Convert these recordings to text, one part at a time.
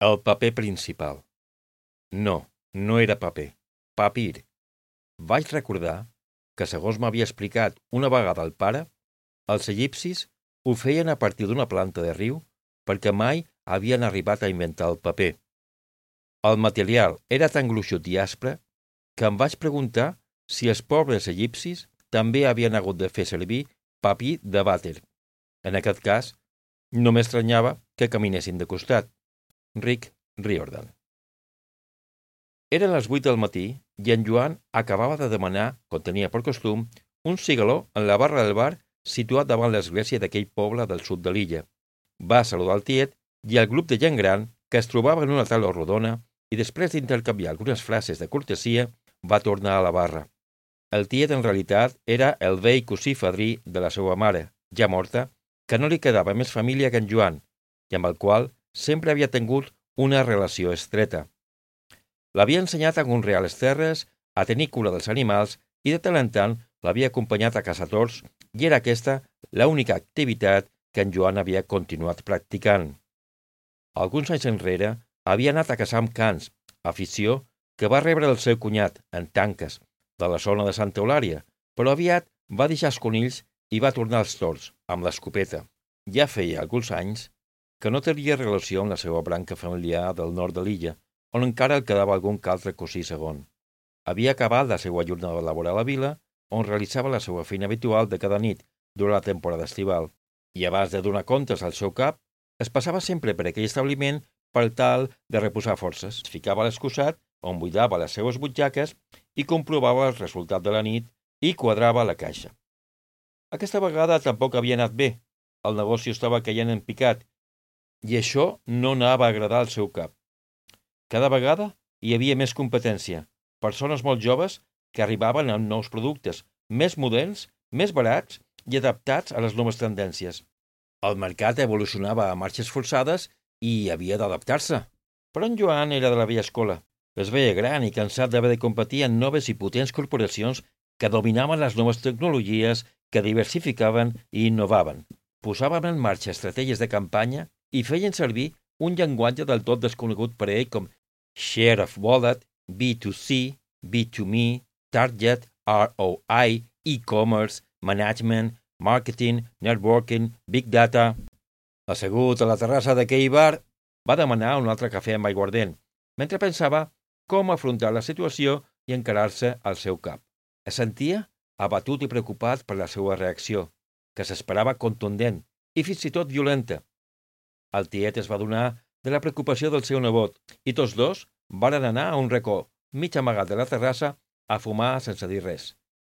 El paper principal. No, no era paper. Papir. Vaig recordar que, segons m'havia explicat una vegada el pare, els egipcis ho feien a partir d'una planta de riu perquè mai havien arribat a inventar el paper. El material era tan gruixut i aspre que em vaig preguntar si els pobres egipcis també havien hagut de fer servir papir de vàter. En aquest cas, no m'estranyava que caminessin de costat. Rick Riordan. Eren les 8 del matí i en Joan acabava de demanar, com tenia per costum, un cigaló en la barra del bar situat davant l'església d'aquell poble del sud de l'illa. Va saludar el tiet i el grup de gent gran que es trobava en una taula rodona i després d'intercanviar algunes frases de cortesia va tornar a la barra. El tiet en realitat era el vell cosí fadrí de la seva mare, ja morta, que no li quedava més família que en Joan i amb el qual sempre havia tingut una relació estreta. L'havia ensenyat a conrear les terres, a tenir cura dels animals i de tant en tant l'havia acompanyat a caçar tords i era aquesta l'única activitat que en Joan havia continuat practicant. Alguns anys enrere havia anat a caçar amb cans, afició que va rebre del seu cunyat, en Tanques, de la zona de Santa Eulària, però aviat va deixar els conills i va tornar als tords, amb l'escopeta. Ja feia alguns anys que no tenia relació amb la seva branca familiar del nord de l'illa, on encara el quedava algun altre cosí segon. Havia acabat la seva jornada laboral a la vila, on realitzava la seva feina habitual de cada nit durant la temporada estival, i abans de donar comptes al seu cap, es passava sempre per aquell establiment per tal de reposar forces. Es ficava a l'excusat, on buidava les seues butxaques i comprovava el resultat de la nit i quadrava la caixa. Aquesta vegada tampoc havia anat bé. El negoci estava caient en picat i això no anava a agradar al seu cap. Cada vegada hi havia més competència, persones molt joves que arribaven amb nous productes, més moderns, més barats i adaptats a les noves tendències. El mercat evolucionava a marxes forçades i havia d'adaptar-se. Però en Joan era de la vella escola. Es veia gran i cansat d'haver de competir en noves i potents corporacions que dominaven les noves tecnologies, que diversificaven i innovaven. Posaven en marxa estratègies de campanya i feien servir un llenguatge del tot desconegut per a ell com Share of Wallet, B2C, B2Me, Target, ROI, e-commerce, management, marketing, networking, big data. Assegut a la terrassa d'aquell bar, va demanar un altre cafè amb aiguardent, mentre pensava com afrontar la situació i encarar-se al seu cap. Es sentia abatut i preocupat per la seva reacció, que s'esperava contundent i fins i tot violenta. El tiet es va adonar de la preocupació del seu nebot i tots dos varen anar a un racó, mig amagat de la terrassa, a fumar sense dir res.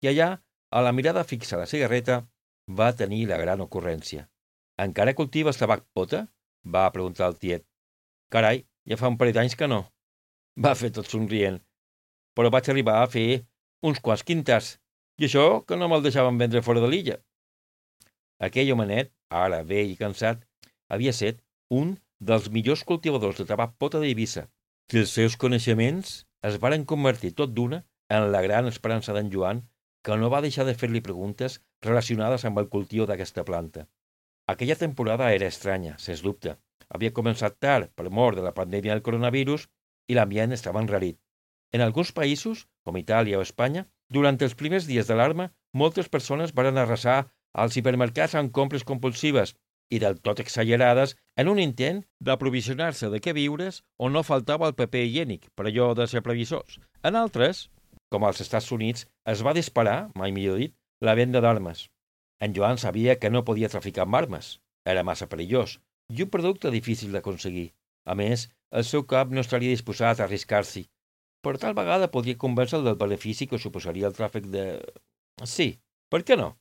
I allà, a la mirada fixa a la cigarreta, va tenir la gran ocurrència. «Encara cultives tabac pota?» va preguntar el tiet. «Carai, ja fa un parell d'anys que no», va fer tot somrient. «Però vaig arribar a fer uns quants quintars, i això que no me'l deixaven vendre fora de l'illa». Aquell homenet, ara vell i cansat, havia set un dels millors cultivadors de tabac pota d'Eivissa. Els seus coneixements es varen convertir tot d'una en la gran esperança d'en Joan, que no va deixar de fer-li preguntes relacionades amb el cultiu d'aquesta planta. Aquella temporada era estranya, sens dubte. Havia començat tard per mort de la pandèmia del coronavirus i l'ambient estava enrarit. En alguns països, com Itàlia o Espanya, durant els primers dies d'alarma, moltes persones varen arrasar als hipermercats amb compres compulsives i del tot exagerades en un intent d'aprovisionar-se de què viures on no faltava el paper higiènic, per allò de ser previsors. En altres, com als Estats Units, es va disparar, mai millor dit, la venda d'armes. En Joan sabia que no podia traficar amb armes. Era massa perillós i un producte difícil d'aconseguir. A més, el seu cap no estaria disposat a arriscar-s'hi. Però tal vegada podria convèncer del benefici que suposaria el tràfic de... Sí, per què no?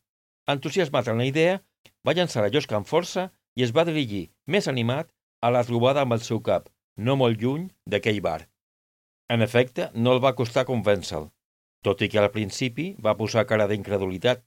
Entusiasmat en la idea, va llançar la llosca amb força i es va dirigir, més animat, a la trobada amb el seu cap, no molt lluny d'aquell bar. En efecte, no el va costar convèncer-lo, tot i que al principi va posar cara d'incredulitat.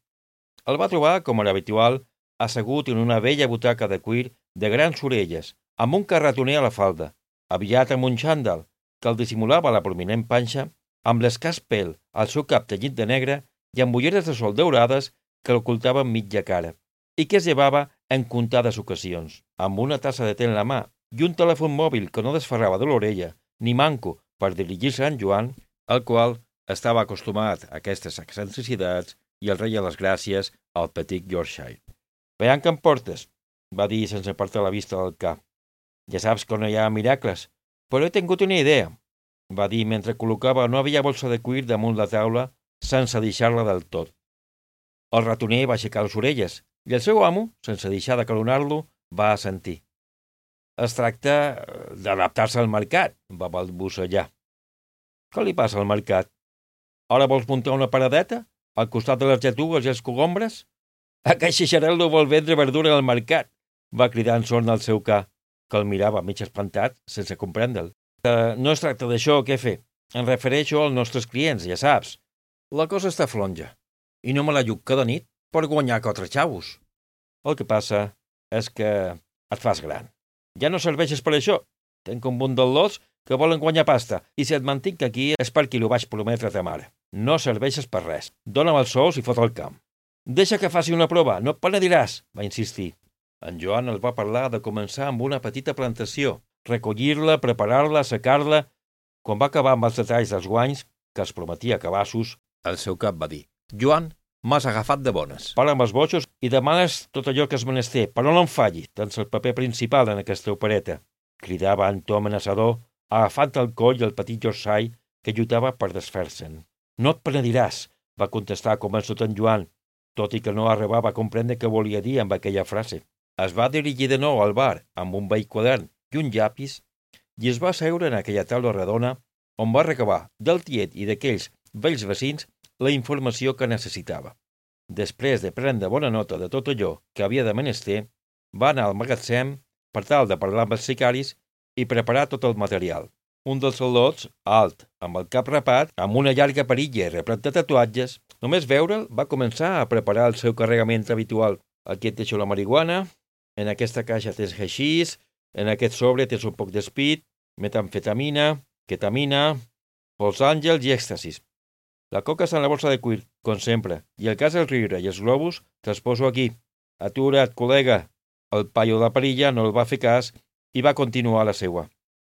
El va trobar, com era habitual, assegut en una vella butaca de cuir de grans orelles, amb un carretoner a la falda, aviat amb un xandall, que el dissimulava la prominent panxa, amb l'escàs pèl al seu cap tenyit de negre i amb ulleres de sol daurades que l'ocultaven mitja cara, i que es llevava en comptades ocasions. Amb una tassa de te en la mà i un telèfon mòbil que no desferrava de l'orella, ni manco per dirigir-se a en Joan, el qual estava acostumat a aquestes excentricitats i el reia les gràcies al petit Yorkshire. «Veiem que em portes», va dir sense apartar la vista del cap. «Ja saps que no hi ha miracles, però he tingut una idea», va dir mentre col·locava una vella bossa de cuir damunt la taula sense deixar-la del tot. El ratoner va aixecar les orelles i el seu amo, sense deixar de calonar-lo, va assentir. «Es tracta d'adaptar-se al mercat», va balbucejar. «Què li passa al mercat? Ara vols muntar una paradeta al costat de les lletugues i els cogombres? Aquest xixarel·lo vol vendre verdura al mercat», va cridar en son al seu ca, que el mirava mig espantat sense comprendre'l. «No es tracta d'això, què fer? Em refereixo als nostres clients, ja saps. La cosa està flonja, i no me la lluc cada nit per guanyar 4 xavos. El que passa és que et fas gran. Ja no serveixes per això. Tenc un munt d'al·lots que volen guanyar pasta, i si et mantinc aquí és perquè ho vaig prometre a ta mare. No serveixes per res. Dóna'm els sous i fot el camp». «Deixa que faci una prova, no et penediràs», va insistir. En Joan el va parlar de començar amb una petita plantació, recollir-la, preparar-la, assecar-la. Quan va acabar amb els detalls dels guanys, que es prometia cabassos, el seu cap va dir: «Joan, m'has agafat de bones. Para amb els bojos i demanes tot allò que és menester, però no em falli, tens el paper principal en aquesta opereta», cridava en to amenaçador, agafant el coll el petit Yorkshire que lluitava per desfer-se'n. «No et penediràs», va contestar convençut en Joan, tot i que no arribava a comprendre què volia dir amb aquella frase. Es va dirigir de nou al bar amb un vell quadern i un llapis i es va asseure en aquella taula redona on va recabar del tiet i d'aquells vells vecins la informació que necessitava. Després de prendre bona nota de tot allò que havia de menester, va anar al magatzem per tal de parlar amb els sicaris i preparar tot el material. Un dels al·lots, alt, amb el cap rapat, amb una llarga perilla i replet de tatuatges, només veure'l va començar a preparar el seu carregament habitual. Aquí et deixo la marihuana, en aquesta caixa tens haixís, en aquest sobre tens un poc d'espit, metamfetamina, ketamina, pols àngels i èxtasis. La coca està en la bossa de cuir, com sempre, i el cas del riure i els globus te'ls poso aquí. Atura't, col·lega. El paio de la perilla no el va fer cas i va continuar la seua.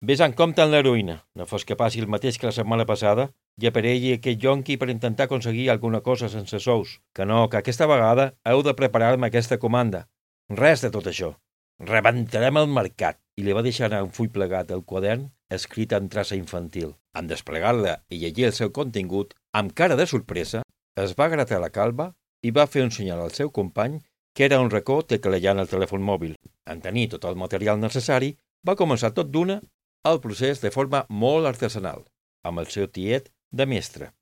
Ves en compte en l'heroïna, no fos que passi el mateix que la setmana passada i aparegui aquest yonqui per intentar aconseguir alguna cosa sense sous. Que no, que aquesta vegada heu de preparar-me aquesta comanda. Res de tot això. Rebentarem el mercat. I li va deixar anar un full plegat al quadern escrit en traça infantil. En desplegar-la i llegir el seu contingut, amb cara de sorpresa, es va gratar la calba i va fer un senyal al seu company que era un racó teclejant el telèfon mòbil. En tenir tot el material necessari, va començar tot d'una el procés de forma molt artesanal, amb el seu tiet de mestre.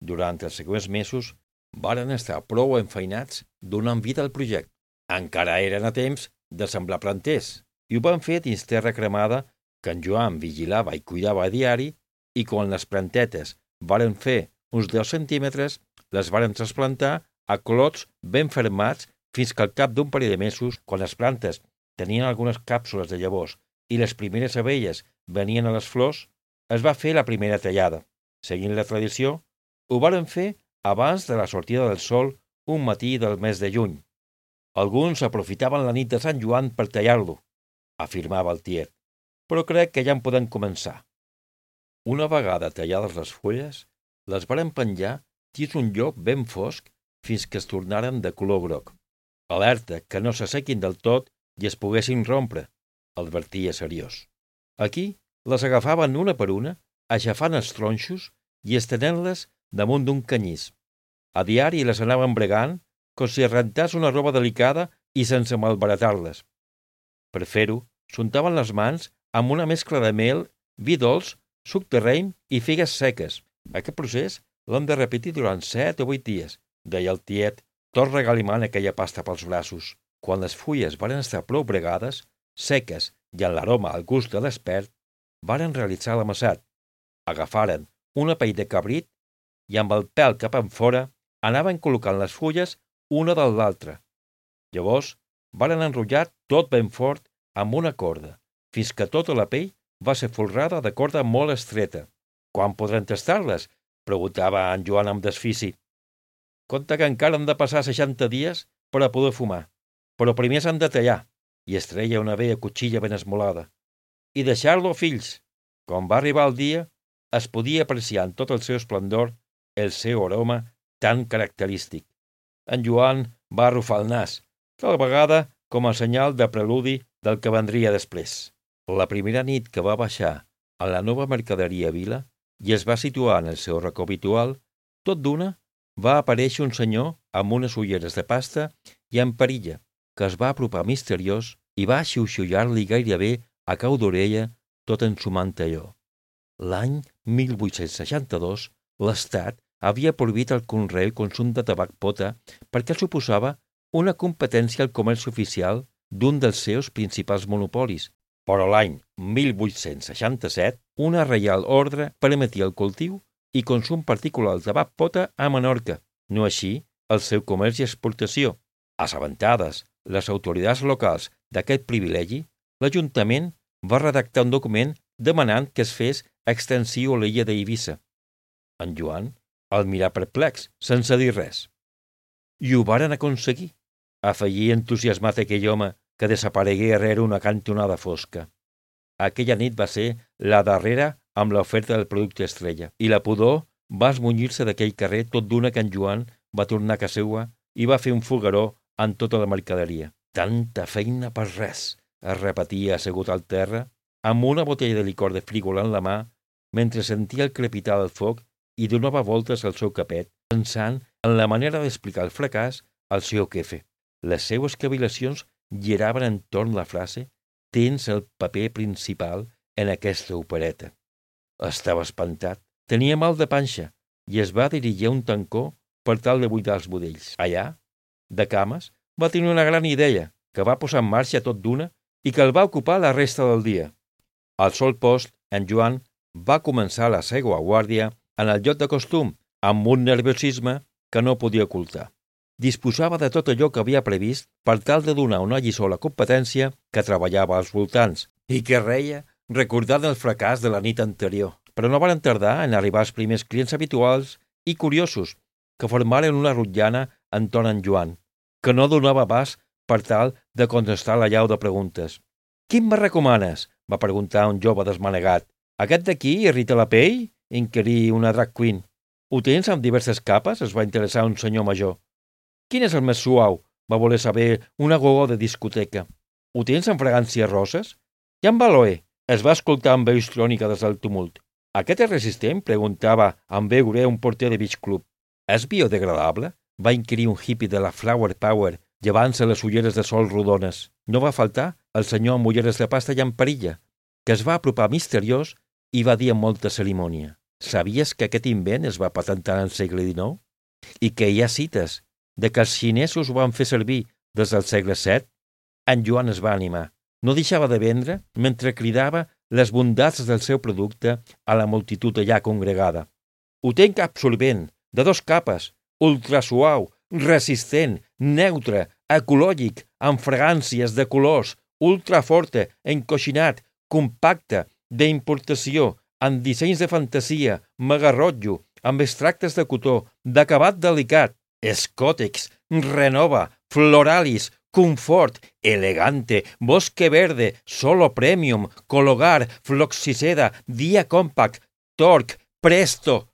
Durant els següents mesos varen estar prou enfeinats donant vida al projecte. Encara eren a temps de semblar planters, i ho van fer dins terra cremada que en Joan vigilava i cuidava a diari, i quan les plantetes varen fer uns 10 centímetres, les varen trasplantar a clots ben fermats fins que al cap d'un parell de mesos, quan les plantes tenien algunes càpsules de llavors i les primeres abelles venien a les flors, es va fer la primera tallada. Seguint la tradició, ho varen fer abans de la sortida del sol un matí del mes de juny. Alguns aprofitaven la nit de Sant Joan per tallar-lo, afirmava el tiet, però crec que ja en podem començar. Una vegada tallades les fulles, les varen penjar dins un lloc ben fosc fins que es tornaren de color groc. Alerta que no s'assequin del tot i es poguessin rompre, advertia seriós. Aquí les agafaven una per una, aixafant els tronxos i estenent-les damunt d'un canyís. A diari les anaven bregant com si es rentàs una roba delicada i sense malbaratar-les. Per fer-ho, s'untaven les mans amb una mescla de mel, vi dolç, suc de raïm i figues seques. Aquest procés l'hem de repetir durant 7 o 8 dies, deia el tiet, tot regalimant aquella pasta pels braços. Quan les fulles varen estar prou bregades, seques i en l'aroma al gust de l'espert, varen realitzar l'amassat. Agafaren una pell de cabrit i amb el pèl cap enfora anaven col·locant les fulles una de l'altra. Llavors varen enrotllar tot ben fort amb una corda, fins que tota la pell va ser folrada de corda molt estreta. «Quan podrem tastar-les?», preguntava en Joan amb desfici. «Compte que encara han de passar 60 dies per a poder fumar, però primer s'han de tallar. i es treia una vella cotxilla ben esmolada. I deixar-lo, fills. Quan va arribar el dia, es podia apreciar en tot el seu esplendor el seu aroma tan característic. En Joan va arrufar el nas, tal vegada com a senyal de preludi del que vendria després. La primera nit que va baixar a la nova mercaderia Vila i es va situar en el seu racó habitual, tot d'una va aparèixer un senyor amb unes ulleres de pasta i amb perilla, que es va apropar misteriós i va xiuxiullar-li gairebé a cau d'orella tot ensumant allò. L'any 1862, l'Estat havia prohibit el conreu i consum de tabac pota perquè suposava una competència al comerç oficial d'un dels seus principals monopolis, però l'any 1867 una reial ordre permetia el cultiu i consum particular del tabac pota a Menorca, no així el seu comerç i exportació. Assabentades les autoritats locals d'aquest privilegi, l'Ajuntament va redactar un document demanant que es fes extensiu a l'illa d'Eivissa. En Joan el mirà perplex, sense dir res. I ho varen aconseguir, afegí entusiasmat aquell home que desaparegué rere una cantonada fosca. Aquella nit va ser la darrera amb l'oferta del producte estrella, i la pudor va esmunyir-se d'aquell carrer tot d'una que en Joan va tornar a casa seua i va fer un fogueró en tota la mercaderia. Tanta feina per res, es repetia assegut al terra, amb una botella de licor de frígola en la mà, mentre sentia el crepitar del foc i donava voltes al seu capet, pensant en la manera d'explicar el fracàs al seu jefe. Les seues cavil·lacions giraven entorn la frase «Tens el paper principal en aquesta opereta». Estava espantat, tenia mal de panxa i es va dirigir a un tancó per tal de buidar els budells. Allà, de cames, va tenir una gran idea que va posar en marxa tot d'una i que el va ocupar la resta del dia. Al sol post, en Joan va començar la seua guàrdia en el lloc de costum, amb un nerviosisme que no podia ocultar. Disposava de tot allò que havia previst per tal de donar una lliçó a la competència que treballava als voltants i que reia recordant el fracàs de la nit anterior. Però no van tardar en arribar els primers clients habituals i curiosos que formaren una rotllana entorn en Joan, que no donava abast per tal de contestar la llau de preguntes. «Quin me recomanes?», va preguntar un jove desmanegat. «Aquest d'aquí irrita la pell?», inquirí una drag queen. «Ho tens amb diverses capes?», es va interessar un senyor major. «Quin és el més suau?», va voler saber una gogó de discoteca. «Ho tens amb fragàncies roses?». «I amb aloe?», es va escoltar amb veu histrònica des del tumult. «Aquest és resistent?», preguntava amb veu greu un porter de beach club. «És biodegradable?», va inquirir un hippie de la Flower Power, llevant-se les ulleres de sol rodones. No va faltar el senyor amb ulleres de pasta i amb perilla, que es va apropar misteriós i va dir amb molta cerimònia: «Sabies que aquest invent es va patentar en el segle XIX? I que hi ha cites de que els xinesos ho van fer servir des del segle VII?» En Joan es va animar. No deixava de vendre mentre cridava les bondats del seu producte a la multitud allà congregada. «Ho tenc absorbent, de 2 capes, ultrasuau, resistent, neutre, ecològic, amb fragàncies de colors, ultraforte, encoixinat, compacte, d'importació, amb dissenys de fantasia, megarrotllo, amb extractes de cotó, d'acabat delicat, escòtex, renova, floralis, confort, elegante, bosque verde, solo premium, cologar, floxiceda, dia compact, torque, presto,